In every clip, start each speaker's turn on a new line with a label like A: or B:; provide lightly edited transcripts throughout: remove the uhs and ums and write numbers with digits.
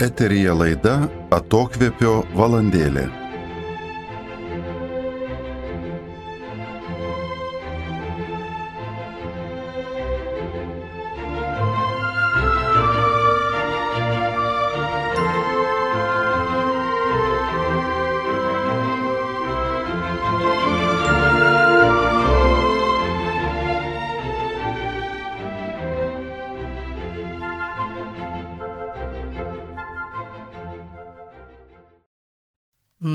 A: Eteryje laida Atokvėpio valandėlė.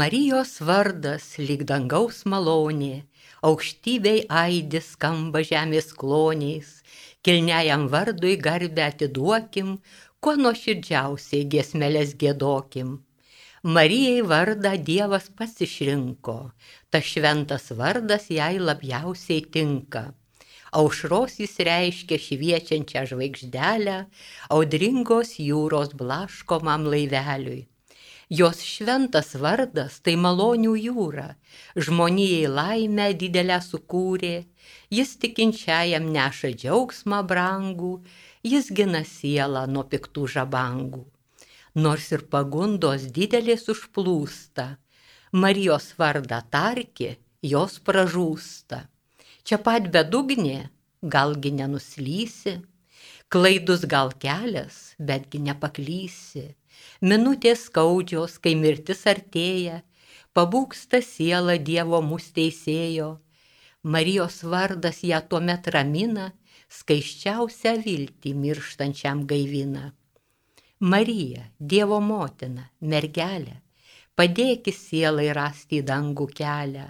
B: Marijos vardas lyg dangaus malonė, aukštybei aidi skamba žemės kloniais, kilniajam vardui garbę atiduokim, kuo nuoširdžiausiai giesmeles giedokim. Marijai vardą Dievas pats išrinko, tas šventas vardas jai labiausiai tinka. Aušros jis reiškia šviečiančią žvaigždelę, audringos jūros blaškomam laiveliui. Jos šventas vardas tai malonių jūra, žmonijai laimę didelę sukūrė, jis tikinčiajam neša džiaugsmą brangų, jis gina sielą nuo piktų žabangų. Nors ir pagundos didelės užplūsta, Marijos vardą tarki, jos pražūsta. Čia pat bedugnė, galgi nenuslysi, klaidus gal kelias, betgi nepaklysi. Minutės skaudžios, kai mirtis artėja, pabūgsta siela Dievo mus teisėjo. Marijos vardas ją tuomet ramina, skaisčiausią viltį mirštančiam gaivina. Marija, Dievo motina, mergelė, padėki sielai rasti į dangų kelią.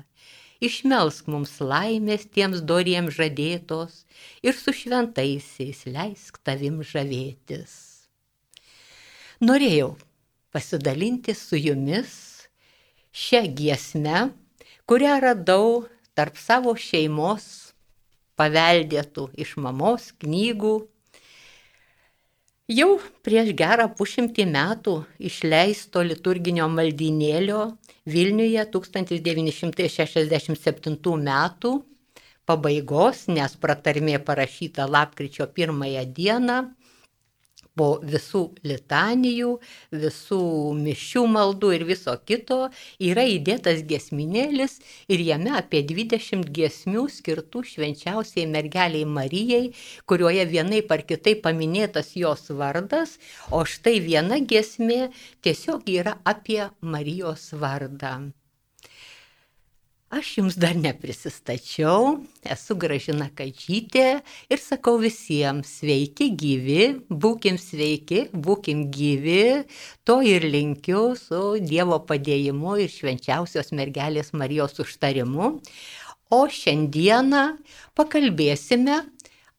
B: Išmelsk mums laimės tiems doriems žadėtos ir su šventaisiais leisk tavim žavėtis. Norėjau pasidalinti su jumis šią giesmę, kurią radau tarp savo šeimos paveldėtų iš mamos knygų. Jau prieš gerą 100 metų išleisto liturginio maldynėlio Vilniuje 1967 metų pabaigos, nes pratarmė parašyta lapkričio 1 dieną, po visų litanijų, visų mišių maldų ir viso kito yra įdėtas giesminėlis ir jame apie 20 giesmių skirtų švenčiausiai mergeliai Marijai, kurioje vienaip ar kitaip paminėtas jos vardas, o štai viena giesmė tiesiog yra apie Marijos vardą. Aš jums dar neprisistačiau, esu Gražina Kadžytė ir sakau visiems sveiki gyvi, būkim sveiki, būkim gyvi, to ir linkiu su Dievo padėjimu ir švenčiausios mergelės Marijos užtarimu. O šiandieną pakalbėsime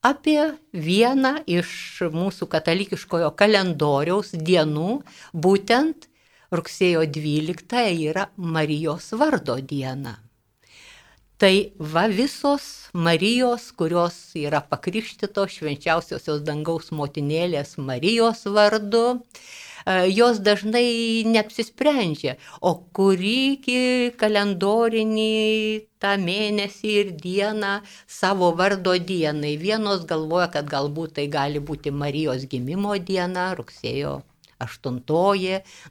B: apie vieną iš mūsų katalikiškojo kalendoriaus dienų, būtent rugsėjo 12 yra Marijos vardo diena. Tai va visos Marijos, kurios yra pakrikštytos švenčiausiosios dangaus motinėlės Marijos vardu, jos dažnai neapsisprendžia, o kurį kalendorinį tą mėnesį ir dieną savo vardo dienai. Vienos galvoja, kad galbūt tai gali būti Marijos gimimo diena, rugsėjo 8,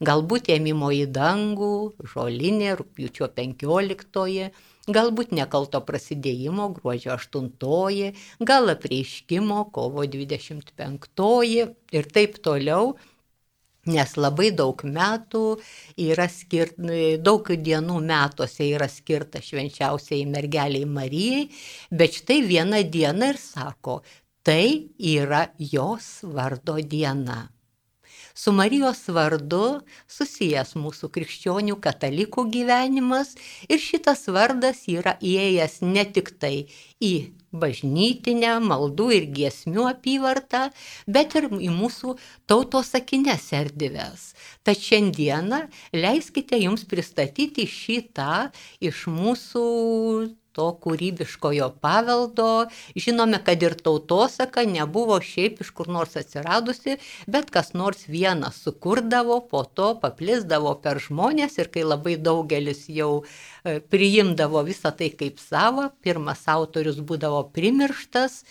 B: galbūt ėmimo į dangų, žolinė, rugpjūčio 15, galbūt nekalto prasidėjimo, gruodžio 8, gal apreiškimo, kovo 25 ir taip toliau, nes labai daug metų yra daug dienų metuose yra skirta švenčiausiai mergeliai Marijai, bet štai viena diena ir sako, tai yra jos vardo diena. Su Marijos vardu susijęs mūsų krikščionių katalikų gyvenimas ir šitas vardas yra įėjęs ne tik tai į bažnytinę maldų ir giesmių apyvartą, bet ir į mūsų tautosakines erdves. Tad šiandieną leiskite jums pristatyti šitą iš mūsų to kūrybiškojo paveldo. Žinome, kad ir tautosaka nebuvo šiaip iš kur nors atsiradusi, bet kas nors vienas sukurdavo, po to paplisdavo per žmonės ir kai labai daugelis jau priimdavo visą tai kaip savo, pirmas autorius būdavo primirštas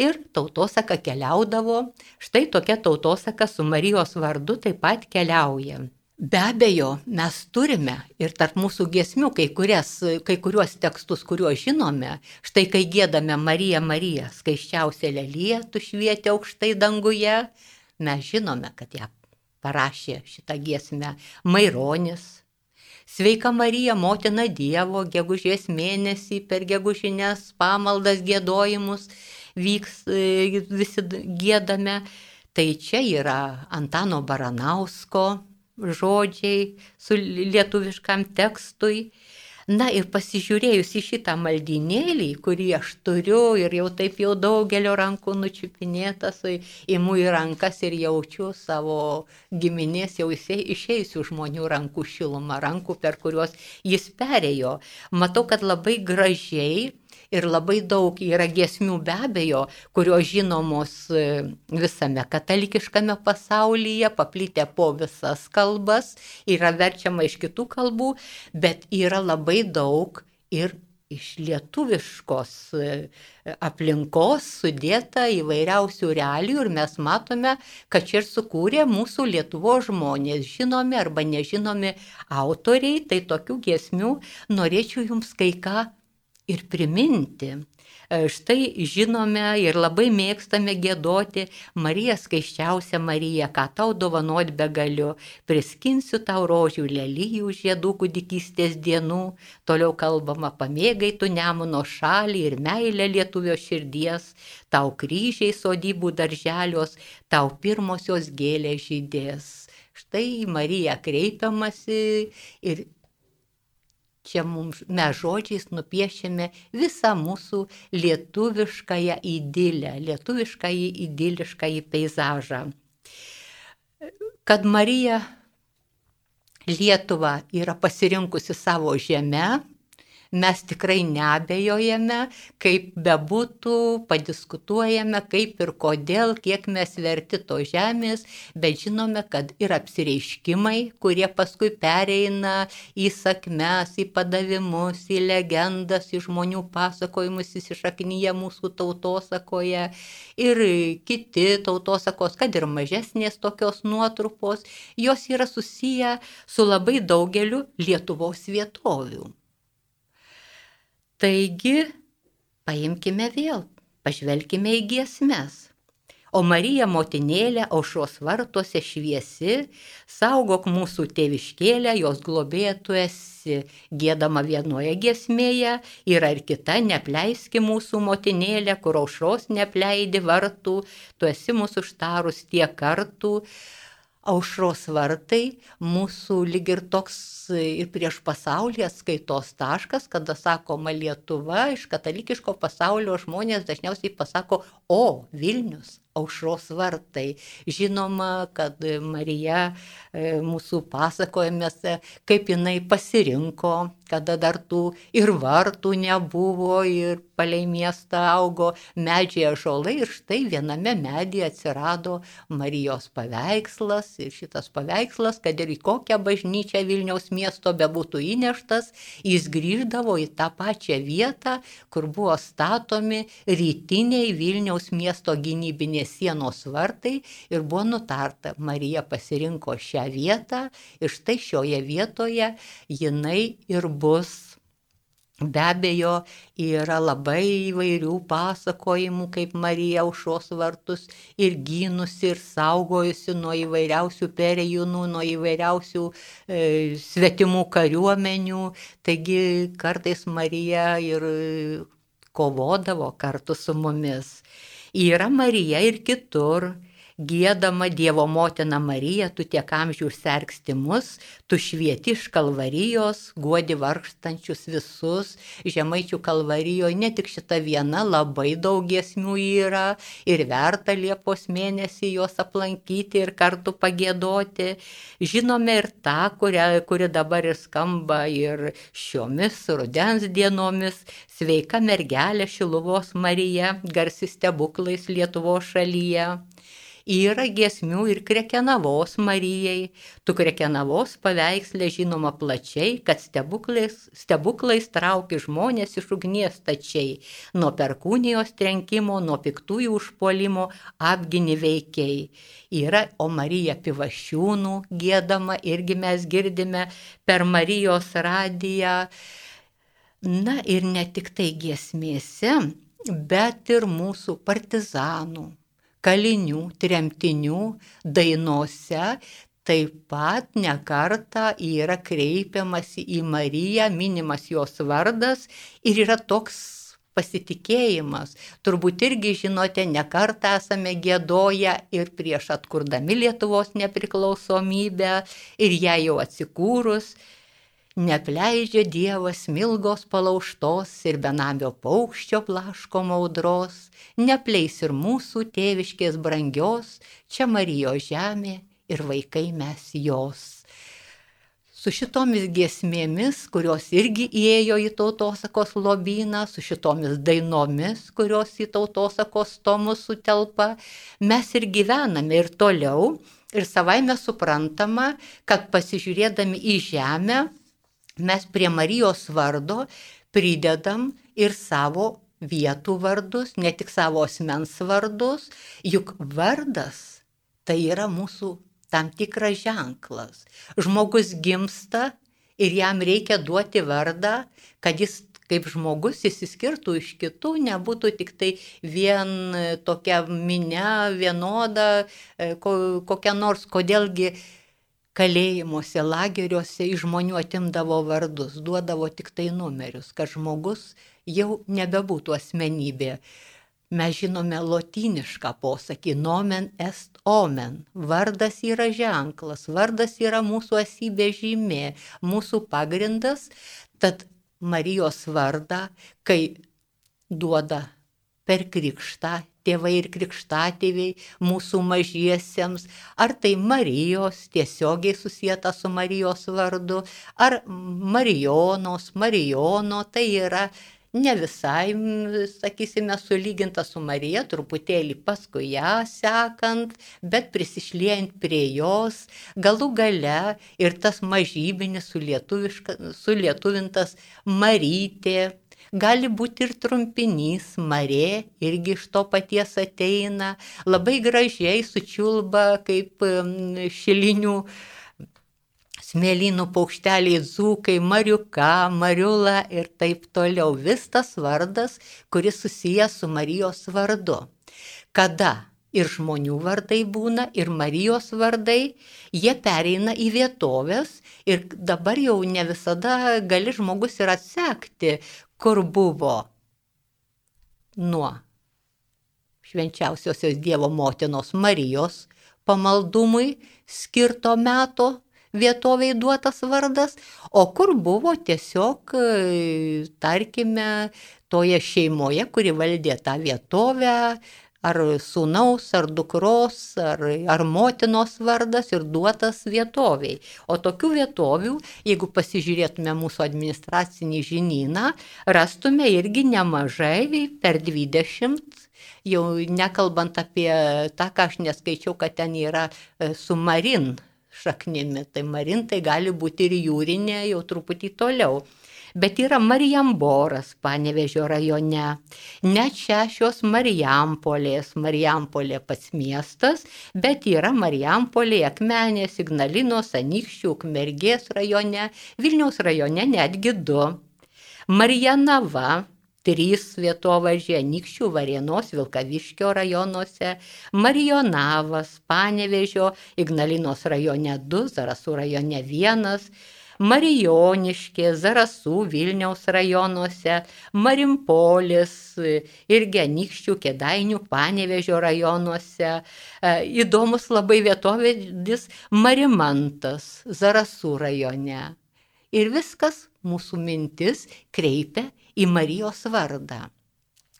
B: ir tautosaka keliaudavo. Štai tokia tautosaka su Marijos vardu taip pat keliauja. Be abejo, mes turime ir tarp mūsų giesmių kai kuriuos tekstus, kuriuos žinome. Štai kai giedame Marija, Marija, skaisčiausia lelija, tu švieti aukštai danguje, mes žinome, kad ją parašė šitą giesmę Maironis. Sveika Marija, motina Dievo, gegužės mėnesį per gegužinės pamaldas giedojimus visi giedame. Tai čia yra Antano Baranausko žodžiai su lietuviškam tekstui. Na ir pasižiūrėjus į šitą maldynėlį, kurį aš turiu ir jau taip jau daugelio rankų nučiupinėtas, imu į rankas ir jaučiu savo giminės jau išėjusių žmonių rankų šilumą, rankų, per kuriuos jis perėjo. Matau, kad labai gražiai ir labai daug yra giesmių be abejo, kurios žinomos visame katalikiškame pasaulyje, paplitę po visas kalbas, yra verčiama iš kitų kalbų, bet yra labai daug ir iš lietuviškos aplinkos sudėta įvairiausių realijų ir mes matome, kad čia ir sukūrė mūsų Lietuvos žmonės, žinomi arba nežinomi autoriai, tai tokių giesmių norėčiau jums kai ką ir priminti. Štai žinome ir labai mėgstame giedoti Marija skaisčiausia Marija, ką tau dovanot begaliu, priskinsiu tau rožių lelijų žiedų kūdikystės dienų, toliau kalbama pamėgai tu Nemuno šalį ir meilę lietuvio širdies, tau kryžiai sodybų darželios, tau pirmosios gėlės žydės. Štai Marija kreipiamasi ir čia mes žodžiais nupiešėme visą mūsų lietuviškąją idilę, lietuviškąjį idiliškąjį peizažą. Kad Marija Lietuvą yra pasirinkusi savo žemę, mes tikrai neabejojame, kaip bebūtų, padiskutuojame, kaip ir kodėl, kiek mes verti to žemės, bet žinome, kad ir apsireiškimai, kurie paskui pereina į sakmes, į padavimus, į legendas, į žmonių pasakojimus, įsišaknyja mūsų tautosakoje ir kiti tautosakos, kad ir mažesnės tokios nuotrupos, jos yra susiję su labai daugeliu Lietuvos vietovių. Taigi, paimkime vėl, pažvelkime į giesmes. O Marija motinėlė aušros vartuose šviesi, saugok mūsų tėviškėlę, jos globėja tu esi. Giedama vienoje giesmėje, yra ir kita, neapleiski mūsų motinėlę, kur aušros neapleidi vartų, tu esi mūsų užtarus tiek kartų. Aušros vartai mūsų lyg ir toks ir prieš pasaulį atskaitos taškas, kada sakoma Lietuva, iš katalikiško pasaulio žmonės dažniausiai pasako, o Vilnius, aušros vartai. Žinoma, kad Marija mūsų pasakojimėse, kaip jinai pasirinko, kada dar tų ir vartų nebuvo, ir palei miestą augo medžiai ąžuolai, ir štai viename medyje atsirado Marijos paveikslas, ir šitas paveikslas, kad ir į kokią bažnyčią Vilniaus miesto bebūtų įneštas, jis grįždavo į tą pačią vietą, kur buvo statomi rytiniai Vilniaus miesto gynybinės sienos vartai, ir buvo nutarta, Marija pasirinko šią vietą, ir štai šioje vietoje jinai ir bus. Be abejo, yra labai įvairių pasakojimų, kaip Marija aušros vartus ir gynusi, ir saugojusi nuo įvairiausių perėjūnų, nuo įvairiausių svetimų kariuomenių. Taigi kartais Marija ir kovodavo kartu su mumis. Yra Marija ir kitur. Giedama Dievo motina Marija, tu tiek amžių sergsti mus, tu švieti iš Kalvarijos, guodi vargstančius visus. Žemaičių Kalvarijoje ne tik šita viena, labai daug giesmių yra ir verta Liepos mėnesį juos aplankyti ir kartu pagiedoti. Žinome ir tą, kuri dabar ir skamba ir šiomis rudens dienomis. Sveika mergelė Šiluvos Marija, garsi stebuklais Lietuvos šalyje. Yra giesmių ir Krekenavos Marijai. Tu Krekenavos paveiksle žinoma plačiai, kad stebuklais trauki žmonės iš ugnies stačiai. Nuo perkūnijos trenkimo, nuo piktųjų užpuolimo apgini veikiai. Yra O Marija Pivašiūnų giedama, irgi mes girdime per Marijos radiją. Na ir ne tik tai giesmėse, bet ir mūsų partizanų, kalinių, tremtinių dainose taip pat ne kartą yra kreipiamasi į Mariją, minimas jos vardas ir yra toks pasitikėjimas. Turbūt irgi žinote, ne kartą esame giedoję ir prieš atkurdami Lietuvos nepriklausomybę ir ją jau atsikūrus. Neapleidžia Dievas smilgos palaužtos ir benamio paukščio blaškomo audros, neapleis ir mūsų tėviškės brangios, čia Marijos žemė ir vaikai mes jos. Su šitomis giesmėmis, kurios irgi įėjo į tautosakos lobyną, su šitomis dainomis, kurios į tautosakos tomus sutelpa, mes ir gyvename ir toliau. Ir savaime suprantama, kad pasižiūrėdami į žemę, mes prie Marijos vardo pridedam ir savo vietų vardus, ne tik savo asmens vardus, juk vardas tai yra mūsų tam tikras ženklas. Žmogus gimsta ir jam reikia duoti vardą, kad jis kaip žmogus išsiskirtų iš kitų, nebūtų tik tai vien tokia minia, vienoda, kokia nors, kodėlgi kalėjimuose, lageriuose iš žmonių atimdavo vardus, duodavo tik tai numerius, kad žmogus jau nebebūtų asmenybė. Mes žinome lotynišką posakį nomen est omen. Vardas yra ženklas, vardas yra mūsų esybės žymė, mūsų pagrindas. Tad Marijos vardą, kai duoda per krikštą, tėvai ir krikštatėviai mūsų mažiesiems, ar tai Marijos tiesiogiai susijęta su Marijos vardu, ar Marijonos, Marijono, tai yra ne visai, sakysime, sulyginta su Marija, truputėlį paskui ją sekant, bet prisišliejant prie jos, galų gale ir tas mažybinis sulietuvintas Marytė. Gali būti ir trumpinys, Marė, irgi iš to paties ateina, labai gražiai sučiulba kaip šilinių smėlynų paukšteliai dzūkai, Mariuka, Mariula ir taip toliau. Vis tas vardas, kuris susijęs su Marijos vardu. Kada ir žmonių vardai būna, ir Marijos vardai, jie pereina į vietovės ir dabar jau ne visada gali žmogus ir atsekti, kur buvo nuo švenčiausiosios Dievo motinos Marijos pamaldumui skirto meto vietoviai duotas vardas, o kur buvo tiesiog, tarkime, toje šeimoje, kuri valdė tą vietovę, ar sūnaus, ar dukros, ar motinos vardas ir duotas vietoviai. O tokių vietovių, jeigu pasižiūrėtume mūsų administracinį žinyną, rastume irgi nemažai, per 20, jau nekalbant apie tą, ką aš neskaičiau, kad ten yra su Marin šaknimi. Tai Marin tai gali būti ir jūrinė, jau truputį toliau. Bet yra Marijamboras Panevėžio rajone, net 6 Marijampolės, Marijampolė pats miestas, bet yra Marijampolė, Akmenės, Ignalinos, Anykščių, Ukmergės rajone, Vilniaus rajone netgi 2. Marijanava, 3 vietovardžiai, Anykščių, Varėnos, Vilkaviškio rajonuose, Marijonavas, Panevėžio, Ignalinos rajone 2, Zarasų rajone 1, Marijoniškė, Zarasų, Vilniaus rajonuose, Marimpolis, irgi Anykščių, Kėdainių, Panevėžio rajonuose. Įdomus labai vietovardis Marimantas, Zarasų rajone. Ir viskas mūsų mintis kreipia į Marijos vardą.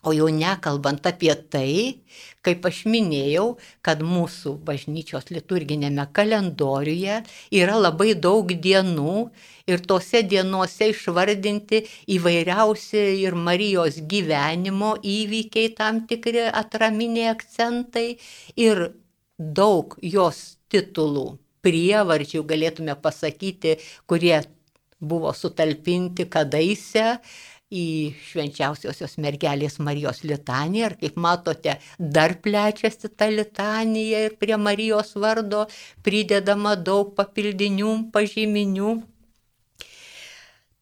B: O jau nekalbant apie tai, kaip aš minėjau, kad mūsų bažnyčios liturginėme kalendoriuje yra labai daug dienų ir tose dienose išvardinti įvairiausi ir Marijos gyvenimo įvykiai, tam tikri atraminiai akcentai ir daug jos titulų, prievardžių galėtume pasakyti, kurie buvo sutalpinti kadaise į švenčiausiosios mergelės Marijos litaniją. Ir kaip matote, dar plečiasi ta litanija ir prie Marijos vardo pridedama daug papildinių, pažyminių.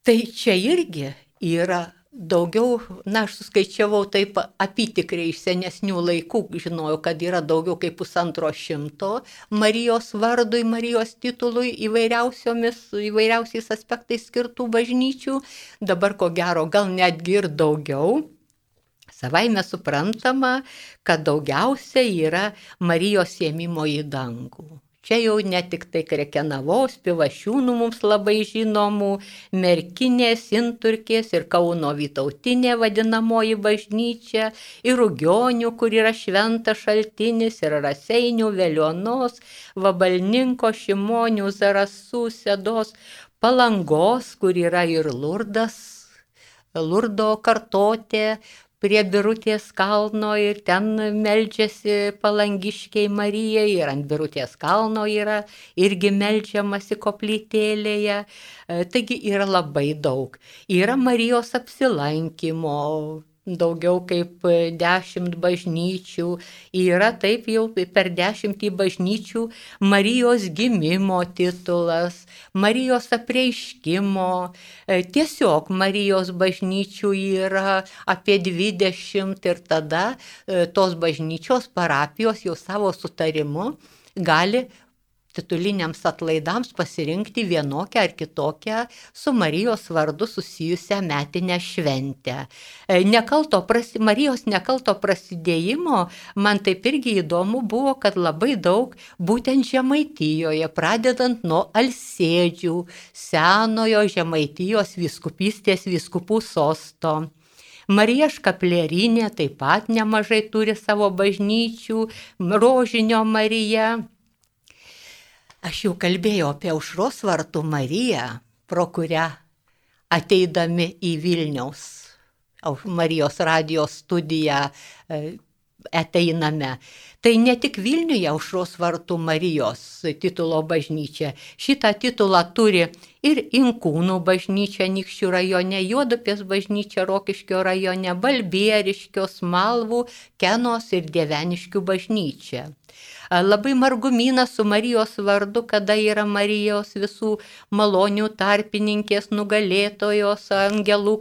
B: Tai čia irgi yra daugiau, aš suskaičiavau taip apytikriai iš senesnių laikų, žinojau, kad yra daugiau kaip 150 Marijos vardui, Marijos titului įvairiausiais aspektais skirtų bažnyčių, dabar ko gero gal netgi ir daugiau. Savaime suprantama, kad daugiausia yra Marijos ėmimo į dangų. Čia jau ne tik tai Krekenavos, Pivašiūnų mums labai žinomų, Merkinės, Inturkės ir Kauno Vytautinė vadinamoji bažnyčia, ir Rugionių, kur yra šventas šaltinis, ir Raseinių, Veliuonos, Vabalninko, Šimonių, Zarasų, Sedos, Palangos, kur yra ir Lurdas, Lurdo kartotė, prie Birutės kalno ir ten meldžiasi palangiškiai Marijai ir ant Birutės kalno yra irgi meldžiamasi koplytėlėje. Taigi yra labai daug. Yra Marijos apsilankymo, daugiau kaip 10 bažnyčių, yra taip jau per 10 bažnyčių Marijos gimimo titulas, Marijos apreiškimo, tiesiog Marijos bažnyčių yra apie 20 ir tada tos bažnyčios parapijos jau savo sutarimu gali tituliniams atlaidams pasirinkti vienokią ar kitokią su Marijos vardu susijusią metinę šventę. Marijos nekalto prasidėjimo man taip irgi įdomu buvo, kad labai daug būtent Žemaitijoje, pradedant nuo Alsėdžių, senojo Žemaitijos vyskupystės vyskupų sosto. Marija Škaplierinė taip pat nemažai turi savo bažnyčių, Rožinio Marija. Aš jau kalbėjau apie Aušros vartų Mariją, pro kurią ateidami į Vilniaus Marijos radijos studiją ateiname. Tai ne tik Vilniuje Aušros vartų Marijos titulo bažnyčia. Šitą titulą turi ir Inkūnų bažnyčia Anykščių rajone, Juodupės bažnyčia Rokiškio rajone, Balbieriškio, Smalvų, Kenos ir Dieveniškių bažnyčia. Labai Margumynas su Marijos vardu, kada yra Marijos visų malonių tarpininkės, nugalėtojos, angelų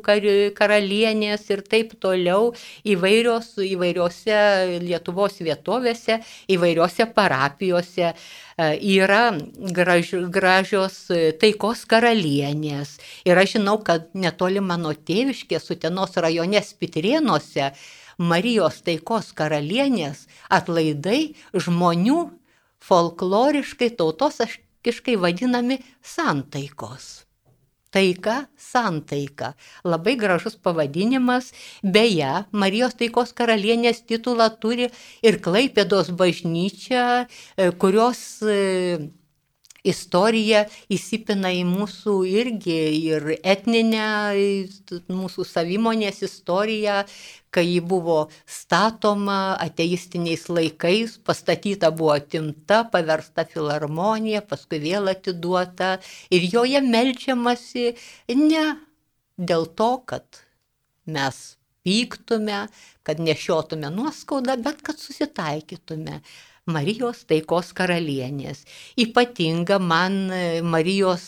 B: karalienės ir taip toliau įvairiose Lietuvos vietovėse, įvairiose parapijose. Yra gražios taikos karalienės. Ir aš žinau, kad netoli mano tėviškės Utenos rajone Spitrėnuose Marijos taikos karalienės atlaidai žmonių folkloriškai, tautosakiškai vadinami santaikos. Taika, santaika. Labai gražus pavadinimas. Beje, Marijos taikos karalienės titulą turi ir Klaipėdos bažnyčia, kurios istorija įsipina į mūsų irgi ir etninę, mūsų savimonės istoriją, kai ji buvo statoma ateistiniais laikais, pastatyta buvo atimta, paversta filharmonija, paskui vėl atiduota ir joje meldžiamasi ne dėl to, kad mes pyktume, kad nešiotume nuoskaudą, bet kad susitaikytume. Marijos taikos karalienės. Ypatinga man Marijos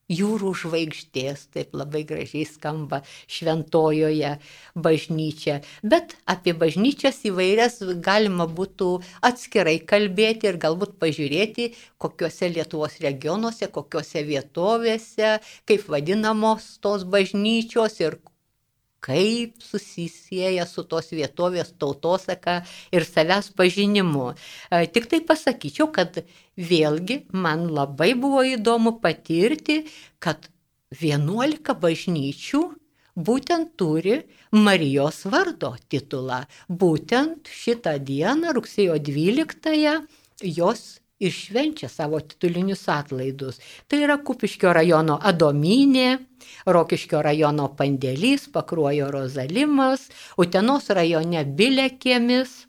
B: jūrų žvaigždės, taip labai gražiai skamba šventojoje bažnyčia. Bet apie bažnyčias įvairias galima būtų atskirai kalbėti ir galbūt pažiūrėti, kokiuose Lietuvos regionuose, kokiuose vietovėse, kaip vadinamos tos bažnyčios ir kaip susisieja su tos vietovės tautosaka ir savęs pažinimu. Tik tai pasakyčiau, kad vėlgi man labai buvo įdomu patirti, kad 11 bažnyčių būtent turi Marijos vardo titulą. Būtent šitą dieną, rugsėjo 12-ąją, jos ir švenčia savo titulinius atlaidus. Tai yra Kupiškio rajono Adomynė, Rokiškio rajono Pandėlys, Pakruojo Rozalimas, Utenos rajone Bilekiemis,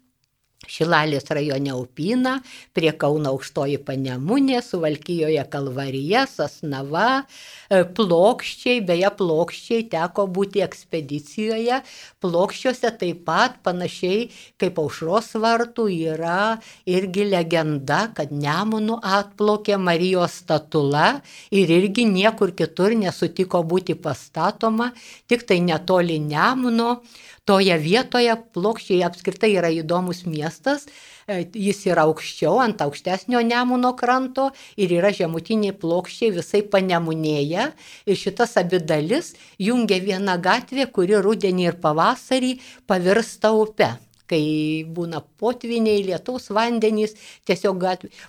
B: Šilalės rajone Upyna, prie Kauno Aukštoji Panemunė, Suvalkijoje Kalvarija, Sasnava, Plokščiai, beje Plokščiai teko būti ekspedicijoje, Plokščiuose taip pat panašiai kaip Aušros vartų yra irgi legenda, kad Nemunu atplaukė Marijos statula ir irgi niekur kitur nesutiko būti pastatoma, tik tai netoli Nemuno. Toje vietoje Plokščiai apskritai yra įdomus miestas, jis yra aukščiau, ant aukštesnio Nemuno kranto ir yra žemutiniai Plokščiai visai Panemunėje. Ir šitas abi dalis jungia vieną gatvę, kuri rudenį ir pavasarį pavirsta upe. Kai būna potviniai, lietaus vandenys, tiesiog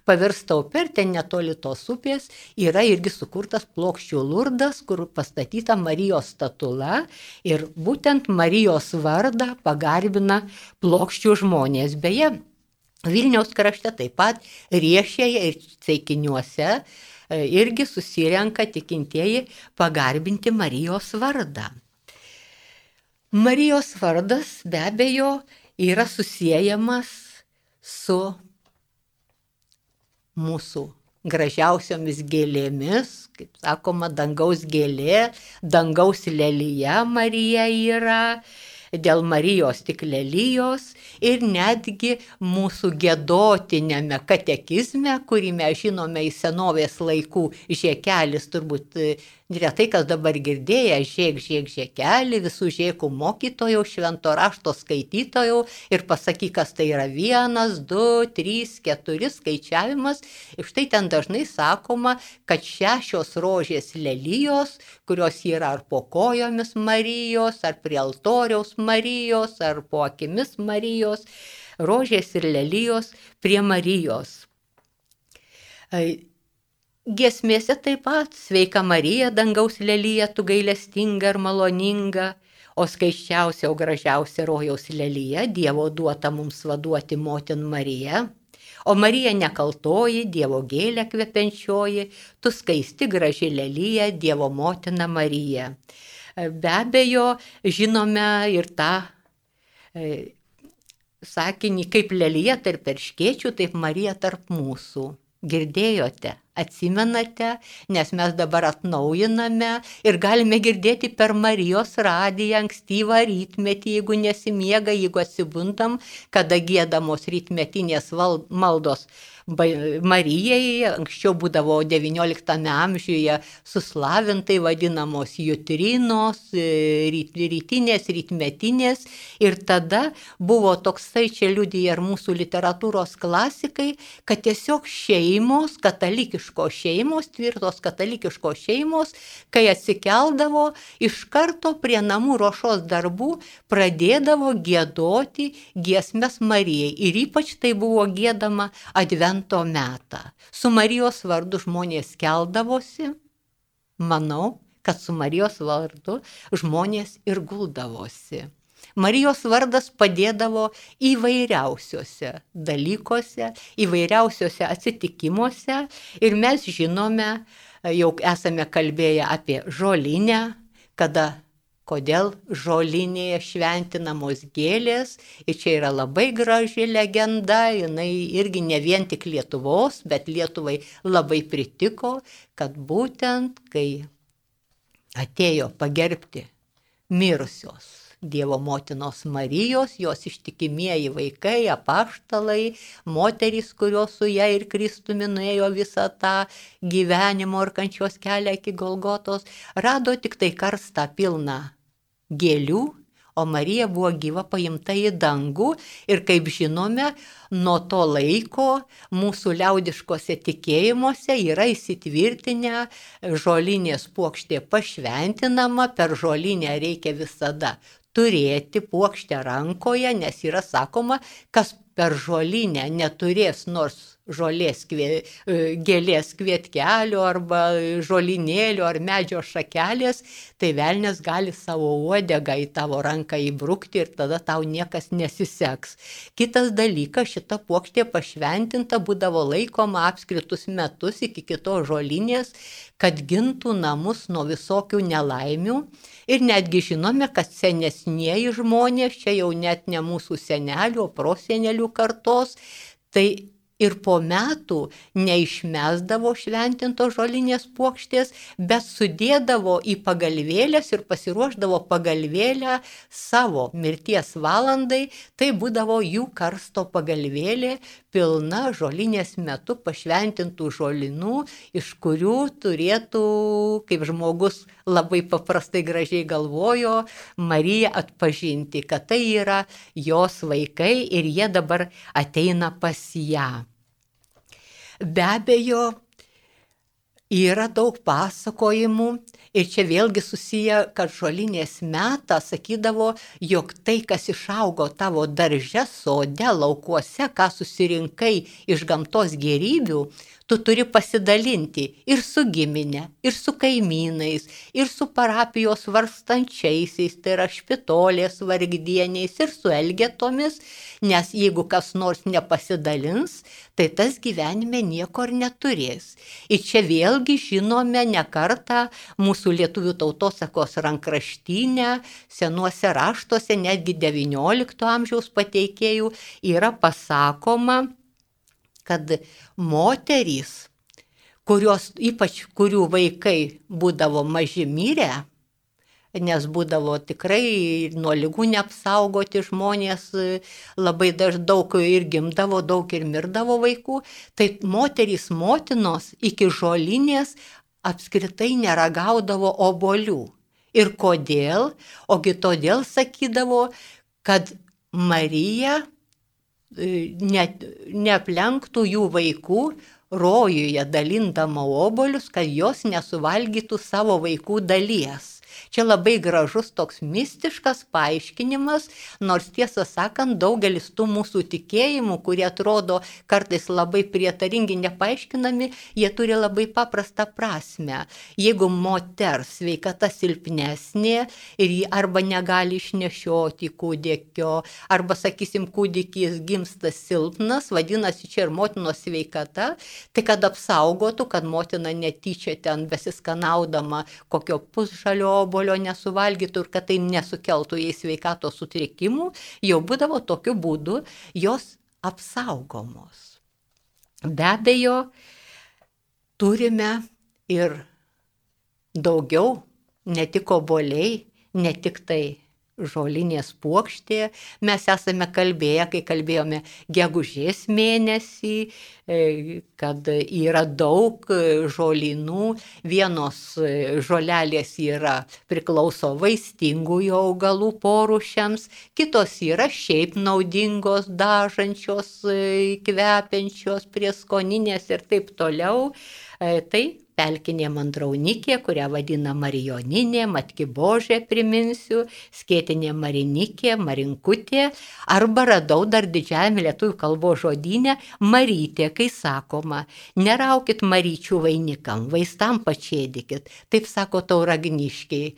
B: pavirsta upė ir ten netoli tos upės yra irgi sukurtas Plokščių Lurdas, kur pastatyta Marijos statula ir būtent Marijos vardą pagarbina Plokščių žmonės. Beje, Vilniaus krašte taip pat Riešėje ir Ceikiniuose irgi susirenka tikintieji pagarbinti Marijos vardą. Marijos vardas be abejo yra susiejamas su mūsų gražiausiomis gėlėmis, kaip sakoma, dangaus gėlė, dangaus lelija Marija yra, dėl Marijos tik lelijos ir netgi mūsų giedotiniame katekizme, kurį mes žinome iš senovės laikų, žiekelis turbūt retai kas dabar girdėję, žiek žiekelį, visų žiekų mokytojų, švento rašto skaitytojų ir pasakyk, kas tai yra 1, 2, 3, 4 skaičiavimas. Ir štai ten dažnai sakoma, kad 6 rožės lelijos, kurios yra ar po kojomis Marijos, ar prie altoriaus Marijos, ar po akimis Marijos, rožės ir lelijos prie Marijos. Giesmėse taip pat sveika Marija, dangaus lelija, tu gailestinga ir maloninga, o skaisčiausia, o gražiausia rojaus lelija, Dievo duota mums vaduoti motin Marija. O Marija nekaltoji, Dievo gėlė kvepiančioji, tu skaisti graži lelija, Dievo motina Marija. Be abejo, žinome ir tą sakinį, kaip lelija tarp erškėčių, taip Marija tarp mūsų. Girdėjote, atsimenate, nes mes dabar atnaujiname ir galime girdėti per Marijos radiją ankstyvą rytmetį, jeigu nesimiega, jeigu atsibundam, kada giedamos rytmetinės maldos Marijai, anksčiau būdavo XIX amžiuje suslavintai vadinamos jutrinos, rytinės, rytmetinės ir tada buvo toksai, čia liudija ir mūsų literatūros klasikai, kad tiesiog šeimos, katalikiškos šeimos, tvirtos katalikiškos šeimos, kai atsikeldavo, iš karto prie namų ruošos darbų pradėdavo giedoti giesmes Marijai ir ypač tai buvo giedama Advento metą. Su Marijos vardu žmonės keldavosi, manau, kad su Marijos vardu žmonės ir guldavosi. Marijos vardas padėdavo įvairiausiuose dalykuose, įvairiausiuose atsitikimuose ir mes žinome, jau esame kalbėję apie žolinę, kodėl žolinėje šventinamos gėlės ir čia yra labai graži legenda, jinai irgi ne vien tik Lietuvos, bet Lietuvai labai pritiko, kad būtent kai atėjo pagerbti mirusios Dievo motinos Marijos, jos ištikimieji vaikai, apaštalai, moterys, kurios su ją ir Kristumi nuėjo visą tą gyvenimo ir kančios kelią iki Golgotos, rado tik tai karstą pilną gėlių, o Marija buvo gyva paimta į dangų ir kaip žinome, nuo to laiko mūsų liaudiškose tikėjimuose yra įsitvirtinę žolinės puokštė pašventinama, per žolinę reikia visada turėti puokštę rankoje, nes yra sakoma, kas per žolinę neturės nors gėlės kvietkelio arba žolinėlio ar medžio šakelės, tai velnias gali savo uodegą į tavo ranką įbrukti ir tada tau niekas nesiseks. Kitas dalykas, šita puokštė pašventinta būdavo laikoma apskritus metus iki kitos žolinės, kad gintų namus nuo visokių nelaimių. Ir netgi žinome, kad senesnieji žmonės, čia jau net ne mūsų senelių, o prosenelių senelių kartos, tai ir po metų neišmesdavo šventintos žolinės puokštės, bet sudėdavo į pagalvėlės ir pasiruošdavo pagalvėlę savo mirties valandai. Tai būdavo jų karsto pagalvėlė, pilna žolinės metu pašventintų žolinų, iš kurių turėtų, kaip žmogus labai paprastai gražiai galvojo, Marija atpažinti, kad tai yra jos vaikai ir jie dabar ateina pas ją. Be abejo, yra daug pasakojimų ir čia vėlgi susiję, kad žolinės metą sakydavo, jog tai, kas išaugo tavo darže, sode, laukuose, ką susirinkai iš gamtos gėrybių, tu turi pasidalinti ir su giminė, ir su kaimynais, ir su parapijos vargstančiaisiais, tai yra špitolės vargdieniais, ir su elgetomis, nes jeigu kas nors nepasidalins, tai tas gyvenime nieko ir neturės. Ir čia vėlgi žinome ne kartą mūsų lietuvių tautosakos rankraštyne, senuose raštuose, netgi XIX amžiaus pateikėjų yra pasakoma, kad moterys, ypač kurių vaikai būdavo maži mirę, nes būdavo tikrai nuo ligų neapsaugoti žmonės, labai daug ir gimdavo, daug ir mirdavo vaikų, tai moterys motinos iki žolinės apskritai neragaudavo obuolių. Ir kodėl? Ogi todėl sakydavo, kad Marija neaplenktų jų vaikų rojuje dalindama obuolius, kad jos nesuvalgytų savo vaikų dalies. Čia labai gražus toks mistiškas paaiškinimas, nors tiesą sakant, daugelis tų mūsų tikėjimų, kurie atrodo kartais labai prietaringi, nepaaiškinami, jie turi labai paprastą prasme. Jeigu moters sveikata silpnesnė ir ji arba negali išnešioti kūdikio, arba, sakysim, kūdikis gimsta silpnas, vadinasi, čia ir motinos sveikata, tai kad apsaugotų, kad motina netyčia ten besiskanaudama kokio pusžalio obuolio nesuvalgytų ir kad tai nesukeltų jai sveikatos sutrikimų, jau būdavo tokiu būdu jos apsaugomos. Be abejo, turime ir daugiau, ne tik obuoliai, ne tik tai žolinės puokštė. Mes esame kalbėję, kai kalbėjome gegužės mėnesį, kad yra daug žolynų. Vienos žolelės priklauso vaistingųjų augalų porūšiams, kitos yra šiaip naudingos, dažančios, kvepiančios, prieskoninės ir taip toliau. Tai pelkinė mandraunikė, kurią vadina marijoninė, matkibožė, priminsiu, skėtinė marinikė, marinkutė, arba radau dar didžiajame lietuvių kalbos žodyne marytė, kai sakoma, neraukit maryčių vainikam, vaistam pačėdikit. Taip sako tauragniškiai,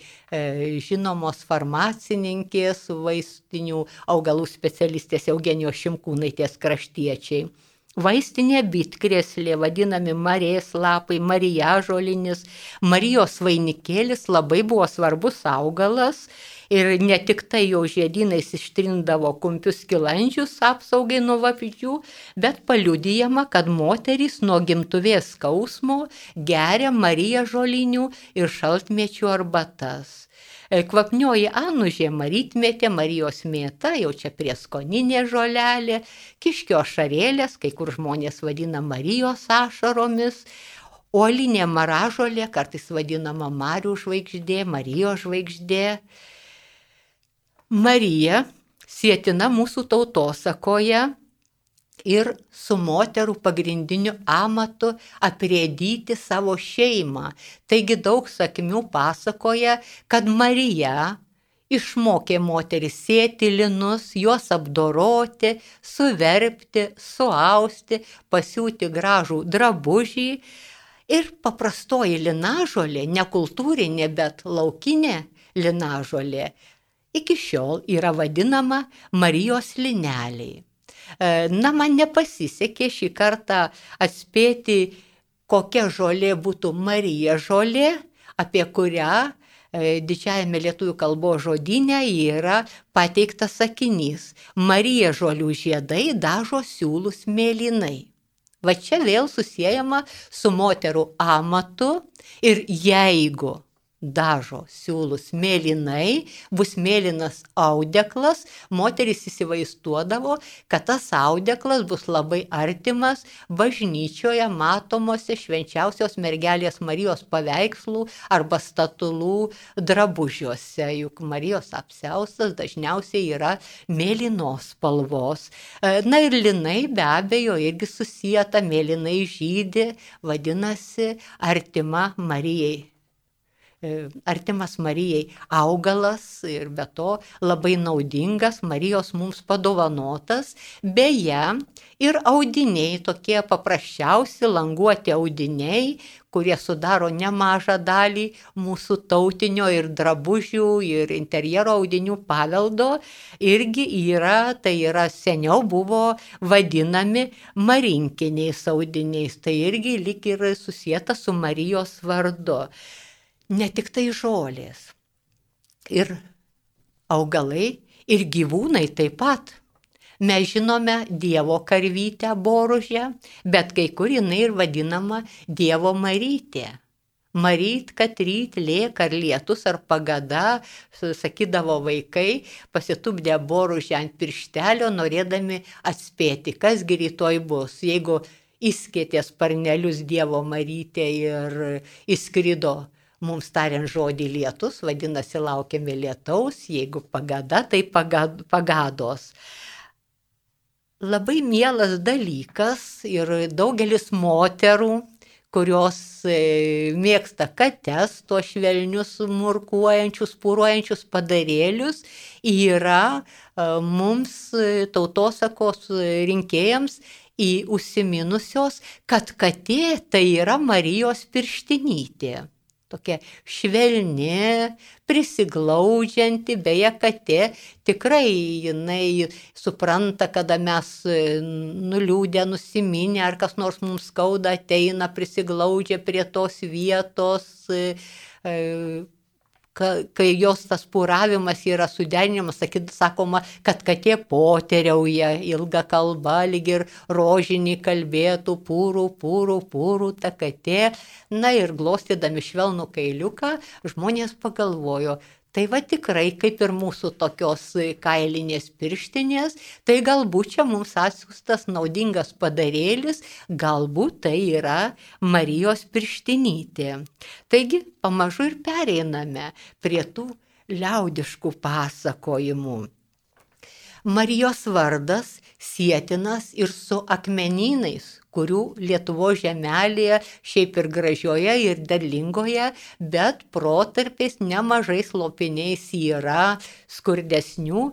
B: žinomos farmacininkės, vaistinių augalų specialistės Eugenijos Šimkūnaitės kraštiečiai. Vaistinė bitkrėslė, vadinami marės lapai, marijažolinis, Marijos vainikėlis labai buvo svarbus augalas ir ne tik tai jo žiedynais ištrindavo kumpius skilandžius apsaugai nuo vabzdžių, bet paliudijama, kad moterys nuo gimtuvės skausmo geria marijažolinių ir šaltmėčių arbatas. Kvapnioji anužė, marytmetė, Marijos mėta, jau čia prieskoninė žolelė, kiškio ašarėlės, kai kur žmonės vadina Marijos ašaromis, uolinė maražolė, kartais vadinama Marių žvaigždė, Marijos žvaigždė. Marija sietina mūsų tautosakoje ir su moterų pagrindiniu amatu aprėdyti savo šeimą. Taigi daug sakmių pasakoja, kad Marija išmokė moteris sėti linus, juos apdoroti, suverpti, suausti, pasiūti gražų drabužį. Ir paprastoji linažolė, ne kultūrinė, bet laukinė linažolė, iki šiol yra vadinama Marijos lineliai. Na, man nepasisekė šį kartą atspėti, kokia žolė būtų Marija žolė, apie kurią didžiajame lietuvių kalbos žodyne yra pateiktas sakinys: Marija žolių žiedai dažo siūlus mėlynai. Va čia vėl susijama su moterų amatu ir jeigu dažo siūlus mėlynai, bus mėlynas audeklas, moteris įsivaizduodavo, kad tas audeklas bus labai artimas bažnyčioje matomose švenčiausios mergelės Marijos paveikslų arba statulų drabužiuose, juk Marijos apsiaustas dažniausiai yra mėlynos spalvos. Na ir linai be abejo irgi susieta, mėlynai žydi, vadinasi artima Marijai. Artimas Marijai augalas ir be to labai naudingas, Marijos mums padovanotas. Beje, ir audiniai, tokie paprasčiausi languoti audiniai, kurie sudaro nemažą dalį mūsų tautinio ir drabužių ir interjero audinių paveldo, irgi yra, tai yra seniau buvo vadinami marinkiniais audiniais, tai irgi lyg ir susieta su Marijos vardu. Ne tik tai žolės, ir augalai, ir gyvūnai taip pat. Mes žinome Dievo karvytę boružę, bet kai kur jinai ir vadinama Dievo Marytė. Maryt, kad ryt, lėk ar lietus ar pagada, sakydavo vaikai, pasitupdė boružę ant pirštelio, norėdami atspėti, kasgi rytoj bus. Jeigu įskėtė sparnelius Dievo Marytė ir įskrido, mums tariant žodį lietus, vadinasi laukiame lietaus, jeigu pagada, tai pagados. Labai mielas dalykas ir daugelis moterų, kurios mėgsta kates, tuos švelnius, murkuojančius, puruojančius padarėlius, yra mums tautosakos rinkėjams užsiminusios, kad katė tai yra Marijos pirštinytė. Tokia švelni, prisiglaudžianti, beje, katė tikrai jinai supranta, kada mes nuliūdę, nusiminę, ar kas nors mums skauda, ateina, prisiglaudžia prie tos vietos, kai jos tas puravimas yra suderinimas, sakoma, kad katė poteriauja, ilga kalba, lyg ir rožinį kalbėtų, pūrų ta katė. Na ir glostydami švelnų kailiuką, žmonės pagalvojo, tai va tikrai kaip ir mūsų tokios kailinės pirštinės, tai galbūt čia mums atsiųstas naudingas padarėlis, galbūt tai yra Marijos pirštinytė. Taigi pamažu ir pereiname prie tų liaudiškų pasakojimų. Marijos vardas sietinas ir su akmenynais, kurių Lietuvos žemelėje šiaip ir gražioje ir derlingoje, bet protarpiais nemažais lopiniais yra skurdesnių.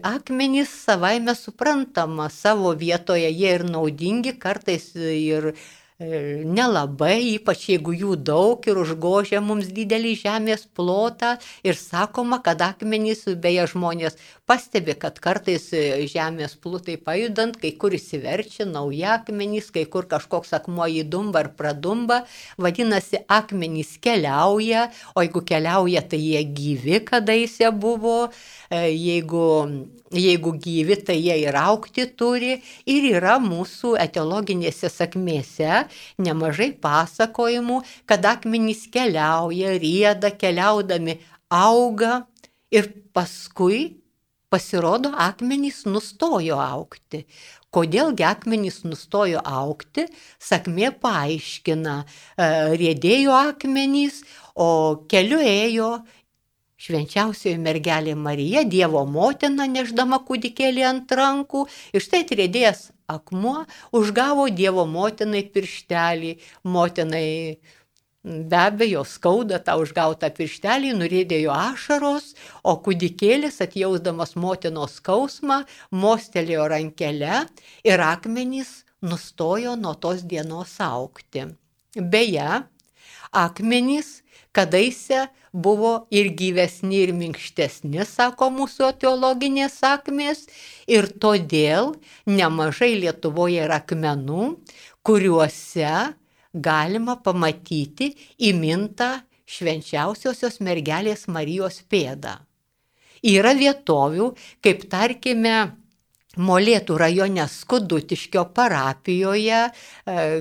B: Akmenys savaime suprantama, savo vietoje jie ir naudingi, kartais ir nelabai, ypač jeigu jų daug ir užgožia mums didelį žemės plotą. Ir sakoma, kad akmenys, beje, žmonės pastebi, kad kartais žemės plutai pajudant, kai kur įsiverčia nauji akmenys, kai kur kažkoks akmuo įdumba ar pradumba, vadinasi, akmenys keliauja, o jeigu keliauja, tai jie gyvi kadaise buvo, jeigu gyvi, tai jie ir augti turi. Ir yra mūsų etiologinėse sakmėse nemažai pasakojimų, kad akmenys keliauja, rieda, keliaudami auga ir paskui pasirodo akmenys nustojo augti. Kodėlgi akmenys nustojo augti, sakmė paaiškina, riedėjo akmenys, o keliu ėjo švenčiausioji mergelė Marija, Dievo motina, neždama kūdikėlį ant rankų, ir štai atriedėjęs akmuo užgavo Dievo motinai pirštelį. Motinai be abejo skauda tą užgautą pirštelį, nuriedėjo ašaros, o kūdikėlis, atjausdamas motinos skausmą, mostelėjo rankelę ir akmenys nustojo nuo tos dienos augti. Beje, akmenys kadaise buvo ir gyvesni, ir minkštesni, sako mūsų teologinės sakmės, ir todėl nemažai Lietuvoje yra akmenų, kuriuose galima pamatyti įmintą švenčiausiosios mergelės Marijos pėdą. Yra vietovių, kaip tarkime, Molėtų rajone Skudutiškio parapijoje,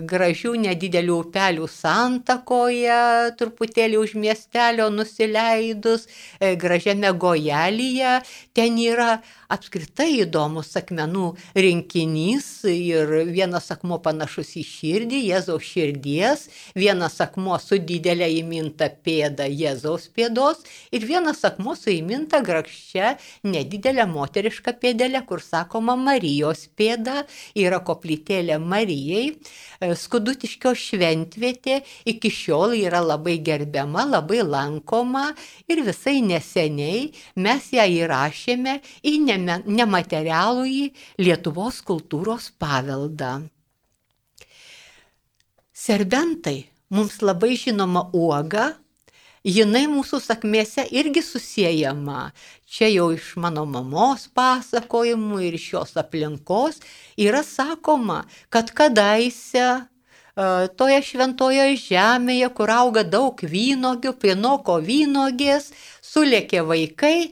B: gražių nedidelių upelių santakoje, truputėlį už miestelio nusileidus, gražiame Gojelyje. Ten yra apskritai įdomus akmenų rinkinys ir vienas akmuo panašus į širdį, Jėzaus širdies, vienas akmuo su didelė įminta pėda Jėzaus pėdos ir vienas akmuo su įminta grakščia nedidelė moteriška pėdelė, kur sakoma Marijos pėda, yra koplytėlė Marijai. Skudutiškio šventvietė iki šiol yra labai gerbiama, labai lankoma ir visai neseniai mes ją įrašėme į nematerialųjį Lietuvos kultūros paveldą. Serbentai mums labai žinoma uoga, jinai mūsų sakmėse irgi susiejama. Čia jau iš mano mamos pasakojimų ir iš jos aplinkos yra sakoma, kad kadaise toje šventoje žemėje, kur auga daug vynogių, prinoko vynogės, sulėkė vaikai.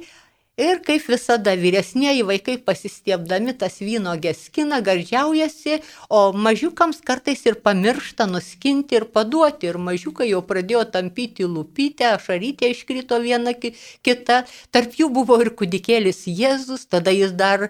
B: Ir kaip visada vyresnieji vaikai pasistiebdami tas vynogės skina, gardžiaujasi, o mažiukams kartais ir pamiršta nuskinti ir paduoti. Ir mažiukai jau pradėjo tampyti lūpytę, ašarytė iškrito viena kita. Tarp jų buvo ir kūdikėlis Jėzus, tada jis dar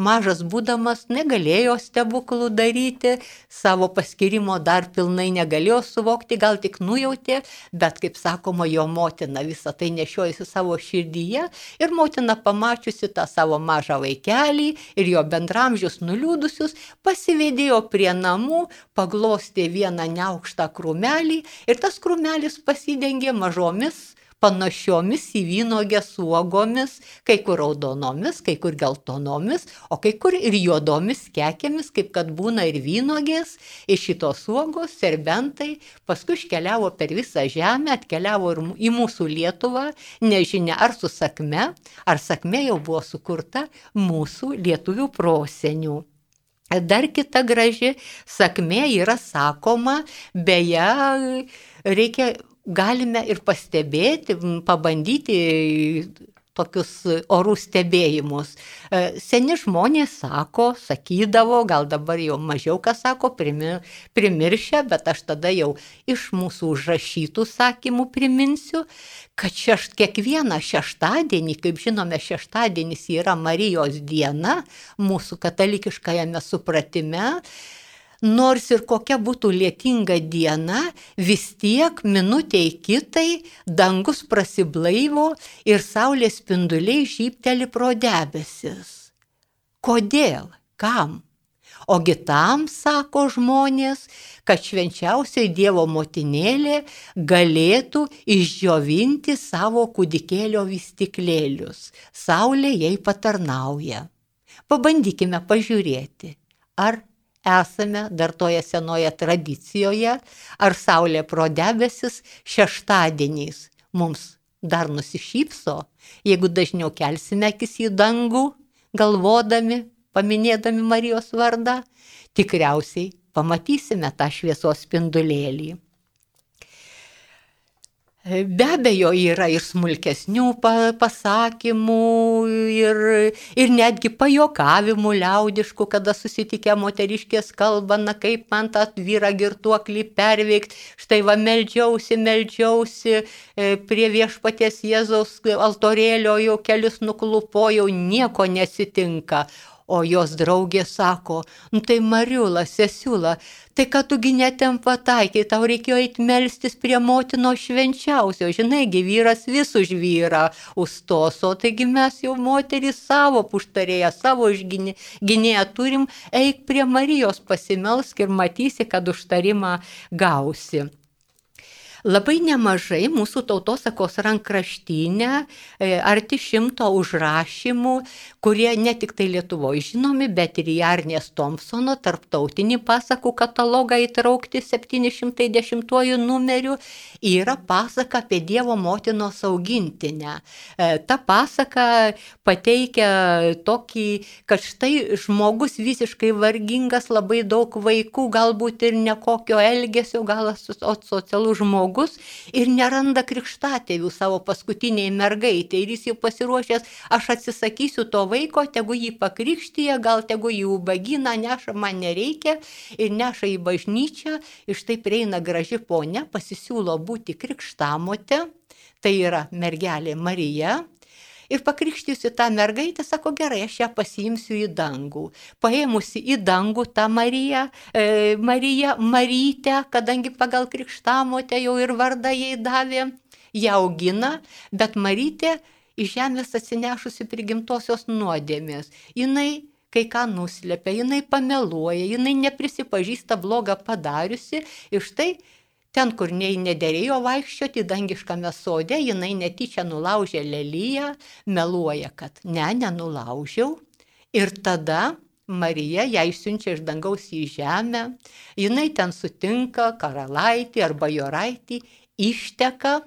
B: mažas būdamas negalėjo stebuklų daryti, savo paskirimo dar pilnai negalėjo suvokti, gal tik nujautė, bet, kaip sakoma, jo motina visą tai nešiojasi savo širdyje ir motina pamačiusi tą savo mažą vaikelį ir jo bendramžius nuliūdusius, pasivedėjo prie namų, paglostė vieną neaukštą krūmelį ir tas krūmelis pasidengė mažomis panašiomis į vynogės uogomis, kai kur raudonomis, kai kur geltonomis, o kai kur ir juodomis kekėmis, kaip kad būna ir vynogės. Iš šitos uogos serbentai paskui iškeliavo per visą žemę, atkeliavo ir į mūsų Lietuvą, nežinia ar su sakme, ar sakmė jau buvo sukurta mūsų lietuvių prosenių. Dar kita graži sakmė yra sakoma, beje, galime ir pastebėti, pabandyti tokius orų stebėjimus. Seni žmonės sakydavo, gal dabar jau mažiau kas sako, primiršę, bet aš tada jau iš mūsų užrašytų sakymų priminsiu, kad kiekvieną šeštadienį, kaip žinome, šeštadienis yra Marijos diena mūsų katalikiškajame supratime. Nors ir kokia būtų lietinga diena, vis tiek minutei kitai dangus prasiblaivo ir saulės spinduliai žybteli pro debesis. Kodėl? Kam? Ogi tam, sako žmonės, kad švenčiausioji Dievo motinėlė galėtų išdžiovinti savo kūdikėlio vystyklėlius. Saulė jai patarnauja. Pabandykime pažiūrėti, ar esame dar toje senoje tradicijoje, ar saulė pro debesis šeštadieniais mums dar nusišypso, jeigu dažniau kelsime akis į dangų, galvodami, paminėdami Marijos vardą, tikriausiai pamatysime tą šviesos spindulėlį. Be abejo, yra ir smulkesnių pasakymų, ir netgi pajokavimų liaudiškų, kada susitikę moteriškės kalba, na kaip man tą vyrą girtuoklį perveikti, štai va meldžiausi prie viešpaties Jėzaus altorėlio, jau kelius nuklupojau, nieko nesitinka. O jos draugė sako, tai Mariula, sesiula, tai kad tugi netem pataikiai, tau reikėjo eiti melstis prie motinos švenčiausio, žinaigi, vyras vis už vyrą užstos, o taigi mes jau moterys savo puštarėję, savo gynėją turim, eik prie Marijos pasimelsk ir matysi, kad užtarimą gausi. Labai nemažai mūsų tautosakos rankraštyne, arti 100 užrašymų, kurie ne tik tai Lietuvoje žinomi, bet ir į Arnės Thompsono tarptautinį pasakų katalogą įtraukti 710 numeriu, yra pasaka apie Dievo motinos augintinę. Ta pasaka pateikia tokį, kad štai žmogus visiškai vargingas, labai daug vaikų, galbūt ir nekokio elgesio, gal asocialus žmogus, žmogus ir neranda krikštatėvių savo paskutiniai mergaitė. Ir jis jau pasiruošęs, aš atsisakysiu to vaiko, tegu jį pakrikštyje, gal tegu jį ubaginą neša, man nereikia, ir neša į bažnyčią. Ir štai prieina graži ponia, pasisiūlo būti krikštamotė, tai yra mergelė Marija. Ir pakrikštysiu tą mergaitę, sako, gerai, aš ją pasiimsiu į dangų. Paėmusi į dangų tą Marytę, kadangi pagal krikštamotę jau ir vardą jai davė, ją augina, bet Marytė iš žemės atsinešusi prigimtosios nuodėmės. Jinai kai ką nuslepia, jinai pameluoja, jinai neprisipažįsta blogą padariusi ir štai ten, kur nederėjo vaikščioti dangiškame sode, jinai netyčia nulaužė leliją, meluoja, kad nenulaužiau. Ir tada Marija ją išsiunčia iš dangaus į žemę, jinai ten sutinka karalaitį ar bajoraitį, išteka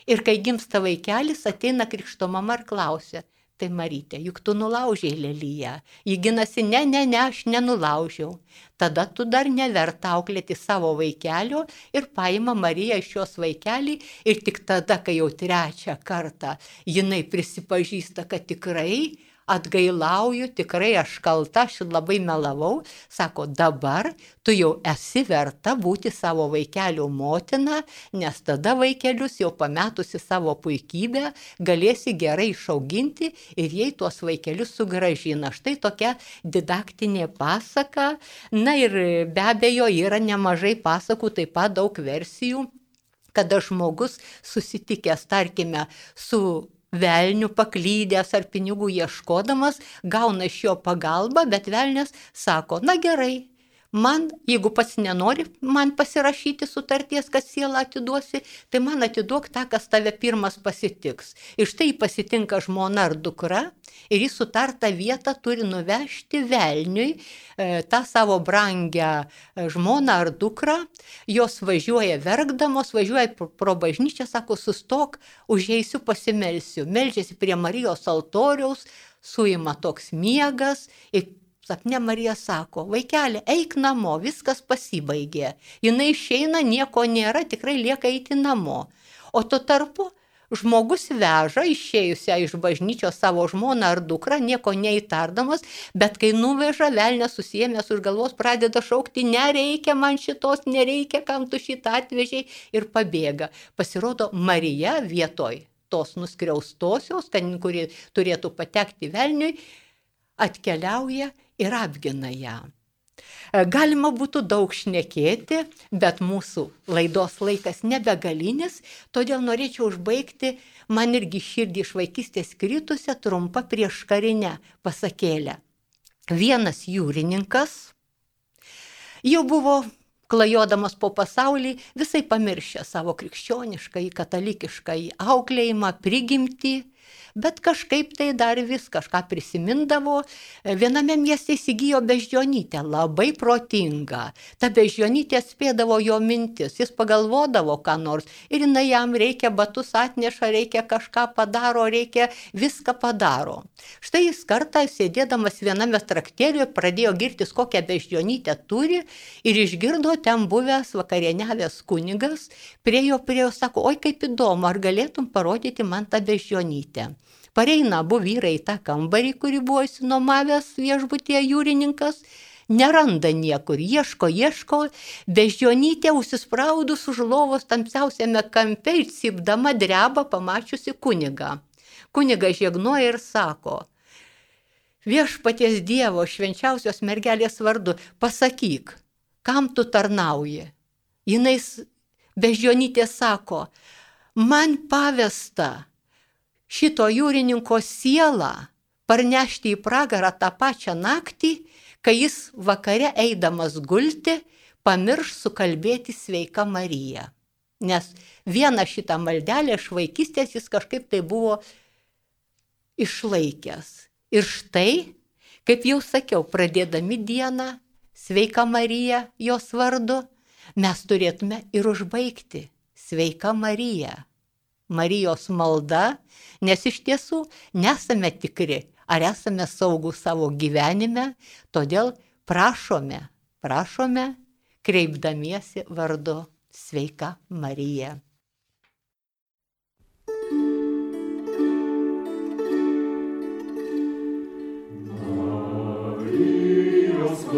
B: ir kai gimsta vaikelis, ateina krikšto mama ir klausia, tai Marytė, juk tu nulaužiai leliją. Ji ginasi, ne, aš nenulaužiau. Tada tu dar neverta auklėti savo vaikelio ir paima Mariją iš jos vaikelį ir tik tada, kai jau trečią kartą jinai prisipažįsta, kad tikrai atgailauju, tikrai aš kalta, aš labai melavau, sako, dabar tu jau esi verta būti savo vaikelio motina, nes tada vaikelius jau pametusi savo puikybę galėsi gerai išauginti ir jai tuos vaikelius sugrąžina. Štai tokia didaktinė pasaka. Na ir be abejo yra nemažai pasakų, taip pat daug versijų, kada žmogus susitikęs, tarkime, su velniu paklydęs ar pinigų ieškodamas, gauna iš jo pagalbą, bet velnias sako, na gerai, man, jeigu pats nenori man pasirašyti sutarties, kad sielą atiduosi, tai man atiduok tą, kas tave pirmas pasitiks. Ir štai pasitinka žmona ar dukra ir jis sutartą vietą turi nuvežti velniui tą savo brangią žmoną ar dukrą. Jos važiuoja verkdamos, važiuoja pro bažnyčią, sako, sustok, užeisiu pasimelsiu. Meldžiasi prie Marijos altoriaus, suima toks miegas ir sapne Marija sako, vaikeli, eik namo, viskas pasibaigė. Jinai išeina, nieko nėra, tikrai lieka eiti namo. O tuo tarpu žmogus veža išėjusią iš bažnyčios savo žmoną ar dukrą, nieko neįtardamas, bet kai nuveža, velnias susiėmęs už galvos pradeda šaukti, nereikia man šitos, nereikia, kam tu šitą atvežiai, ir pabėga. Pasirodo, Marija vietoj tos nuskriaustosios, kuri turėtų patekti velniui, atkeliauja ir apgina ją. Galima būtų daug šnekėti, bet mūsų laidos laikas nebegalinis, todėl norėčiau užbaigti man irgi širdį iš vaikystės kritusią trumpą prieškarinę pasakėlę. Vienas jūrininkas jau buvo klajodamas po pasaulį, visai pamiršę savo krikščionišką, katalikišką auklėjimą, prigimtį, bet kažkaip tai dar vis kažką prisimindavo. Viename mieste įsigijo beždžionytę, labai protingą. Ta beždžionytė atspėdavo jo mintis, jis pagalvodavo ką nors ir jinai jam reikia batus atneša, reikia kažką padaro, reikia viską padaro. Štai jis kartą sėdėdamas viename traktėliuje pradėjo girtis, kokią beždžionytę turi ir išgirdo ten buvęs vakarieniavęs kunigas, prie jo sako, oi kaip įdomu, ar galėtum parodyti man tą beždžionytę. Pareina abu vyrai į tą kambarį, kurį buvo išsinuomavęs viešbutyje jūrininkas, neranda niekur, ieško, beždžionytė užsispraudus už lovos tamsiausiame kampe ir cypdama dreba pamačiusi kunigą. Kunigas žegnoja ir sako, viešpaties Dievo švenčiausios mergelės vardu, pasakyk, kam tu tarnauji? Jinai beždžionytė sako, man pavesta šito jūrininko sielą parnešti į pragarą tą pačią naktį, kai jis vakare eidamas gulti, pamirš sukalbėti sveika Marija. Nes vieną šitą maldelę iš vaikystės jis kažkaip tai buvo išlaikęs. Ir štai, kaip jau sakiau, pradėdami dieną sveika Marija jos vardu, mes turėtume ir užbaigti sveika Marija. Marijos malda, nes iš tiesų nesame tikri, ar esame saugūs savo gyvenime, todėl prašome, kreipdamiesi vardu sveika Marija.
C: Už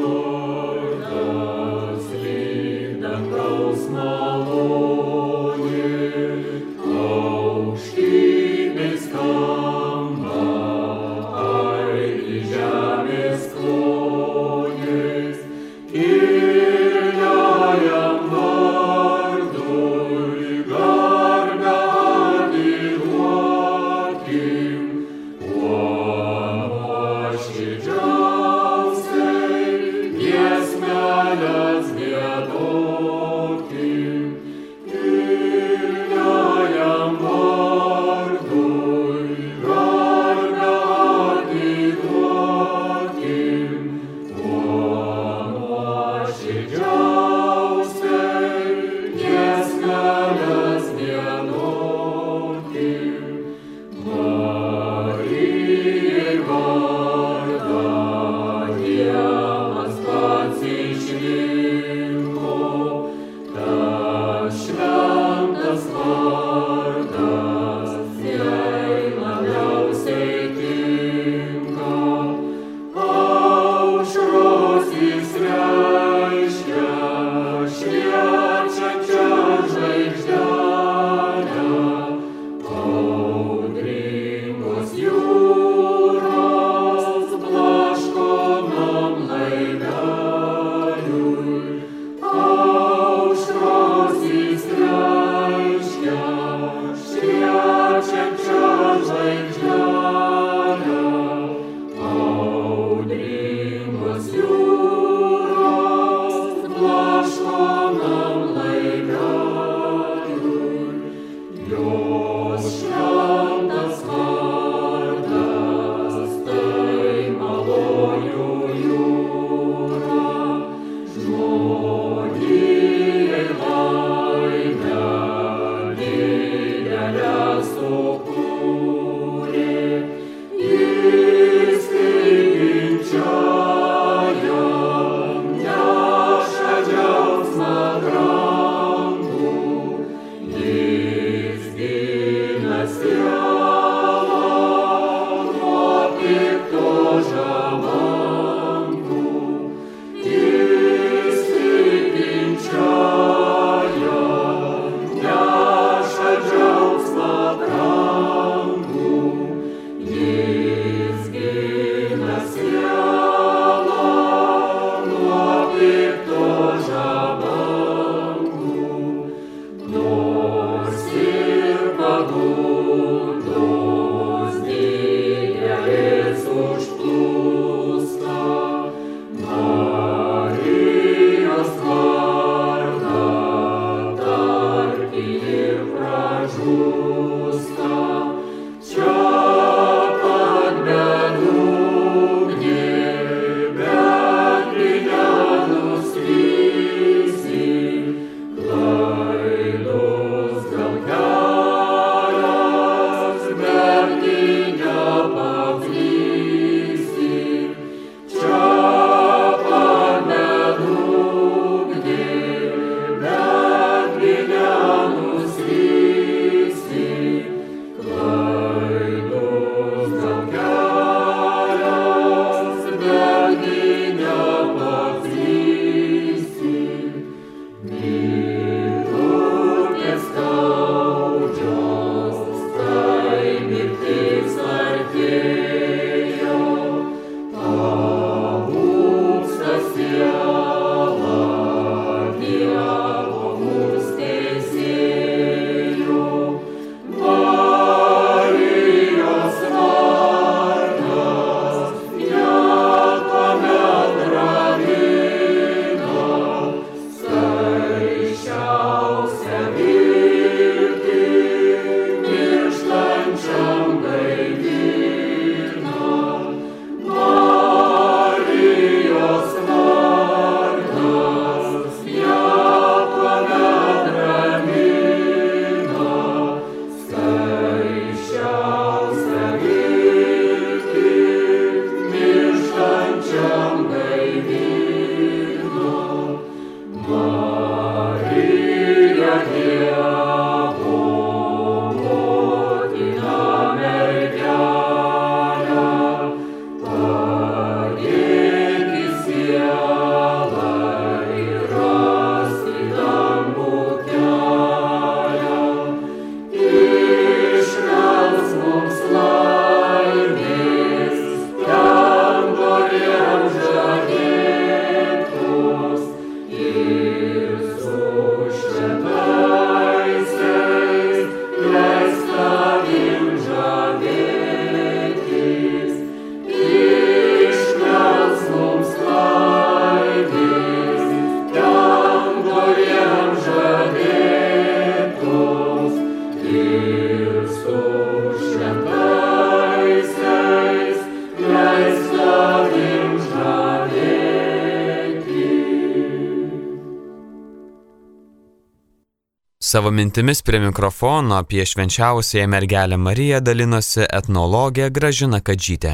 C: Savo mintimis prie mikrofono apie švenčiausiąją mergelę Mariją dalinosi etnologė Gražina Kadžytė.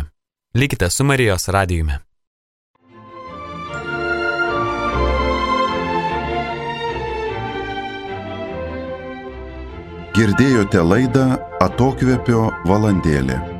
C: Likite su Marijos radijumi.
A: Girdėjote laidą Atokvėpio valandėlė.